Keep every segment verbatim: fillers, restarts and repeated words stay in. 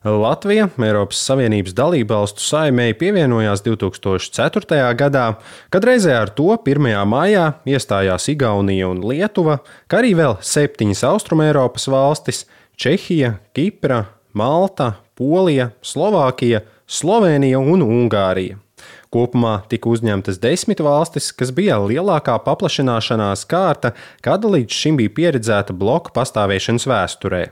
Latvija Eiropas Savienības dalībvalstu saimei pievienojās divi tūkstoši ceturtajā gadā, kad reizē ar to pirmajā maijā iestājās Igaunija un Lietuva, kā arī vēl septiņas Austrumeiropas valstis – Čehija, Kipra, Malta, Polija, Slovākija, Slovēnija un Ungārija. Kopumā tika uzņemtas desmit valstis, kas bija lielākā paplašināšanās kārta, kāda līdz šim bija pieredzēta bloku pastāvēšanas vēsturē.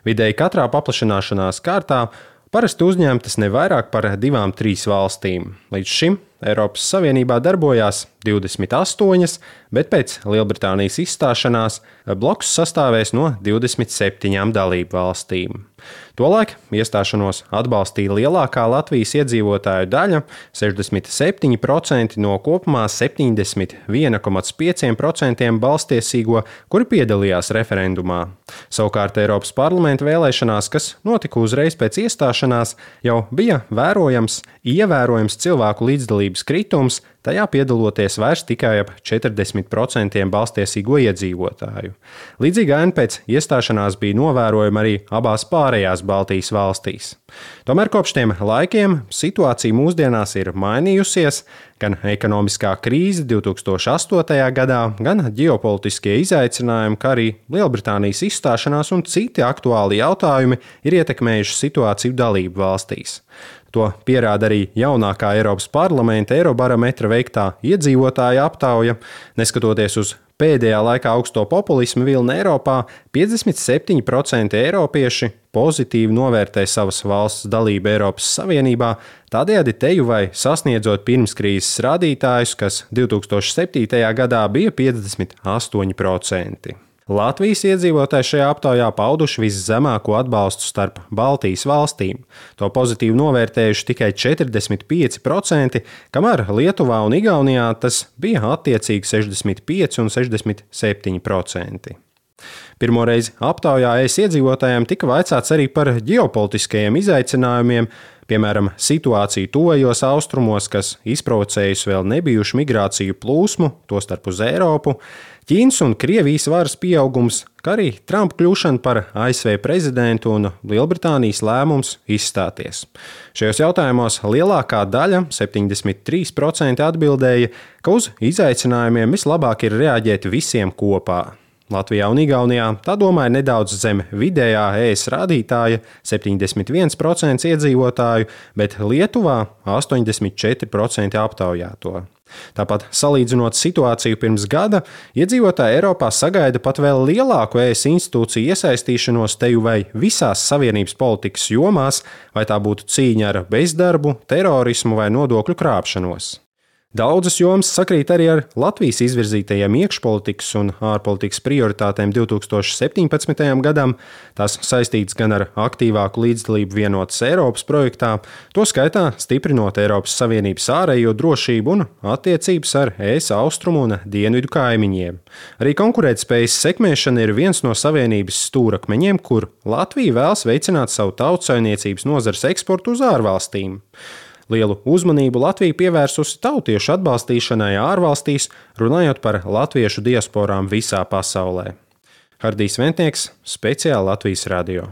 Vidēji katrā paplašināšanās kārtā parasti uzņemtas ne vairāk par divām, trīs valstīm. Līdz šim Eiropas Savienībā darbojās divdesmit astoņas, bet pēc Lielbritānijas izstāšanās bloks sastāvēs no divdesmit septiņām dalību valstīm. Tolaik iestāšanos atbalstīja lielākā Latvijas iedzīvotāju daļa – sešdesmit septiņi procenti no kopumā septiņdesmit viens komats pieci procenti balstiesīgo, kuri piedalījās referendumā. Savukārt Eiropas parlamenta vēlēšanās, kas notika uzreiz pēc iestāšanās, jau bija vērojams, ievērojams cilvēku līdzdalības kritums, tajā piedaloties vairs tikai ap četrdesmit procenti balstiesīgo iedzīvotāju. Līdzīga aina pēc iestāšanās bija novērojama arī abās pārējās Baltijas valstīs. Tomēr kopš tiem laikiem situācija mūsdienās ir mainījusies, gan ekonomiskā krīze divi tūkstoši astotajā gadā, gan ģeopolitiskie izaicinājumi, kā arī Lielbritānijas izstāšanās un citi aktuāli jautājumi ir ietekmējuši situāciju dalību valstīs. To pierāda arī jaunākā Eiropas parlamenta Eirobarometra veiktā iedzīvotāja aptauja. Neskatoties uz pēdējā laikā augsto populismu vilni Eiropā, piecdesmit septiņi procenti eiropieši pozitīvi novērtē savas valsts dalību Eiropas Savienībā, tādējādi teju vai sasniedzot pirmskrīzes rādītājus, kas divi tūkstoši septītajā gadā bija piecdesmit astoņi procenti. Latvijas iedzīvotāji šajā aptaujā pauduši viszemāko atbalstu starp Baltijas valstīm. To pozitīvi novērtējuši tikai četrdesmit pieci procenti, kamēr Lietuvā un Igaunijā tas bija attiecīgi sešdesmit pieci un sešdesmit septiņi procenti. Pirmoreiz aptaujā ES iedzīvotājiem tika vaicāts arī par ģeopolitiskajiem izaicinājumiem, piemēram, situāciju tuvajos austrumos, kas izprovocējusi vēl nebijušu migrāciju plūsmu, tostarp uz Eiropu, Ķīnas un Krievijas varas pieaugums, kā arī Trumpa kļūšana par A S V prezidentu un Lielbritānijas lēmums izstāties. Šajos jautājumos lielākā daļa, septiņdesmit trīs procenti atbildēja, ka uz izaicinājumiem vislabāk ir reaģēt visiem kopā. Latvijā un Igaunijā tā domāja nedaudz zem vidējā E S rādītāja septiņdesmit viens procents iedzīvotāju, bet Lietuvā astoņdesmit četri procenti aptaujāto. Tāpat salīdzinot situāciju pirms gada, iedzīvotāji Eiropā sagaida pat vēl lielāku E S institūciju iesaistīšanos teju vai visās savienības politikas jomās, vai tā būtu cīņa ar bezdarbu, terorismu vai nodokļu krāpšanos. Daudzas jomas sakrīt arī ar Latvijas izvirzītajiem iekšpolitikas un ārpolitikas prioritātēm divi tūkstoši septiņpadsmitajam gadam. Tās saistītas gan ar aktīvāku līdzdalību vienotas Eiropas projektā, to skaitā stiprinot Eiropas Savienības ārējo drošību un attiecības ar E S austrumu un dienvidu kaimiņiem. Arī konkurētspējas sekmēšana ir viens no Savienības stūrakmeņiem, kur Latvija vēlas veicināt savu tautsaimniecības nozares eksportu uz ārvalstīm. Lielu uzmanību Latvija pievērsusi tautiešu atbalstīšanai ārvalstīs, runājot par latviešu diasporām visā pasaulē. Hardijs Ventnieks, speciāli Latvijas radio.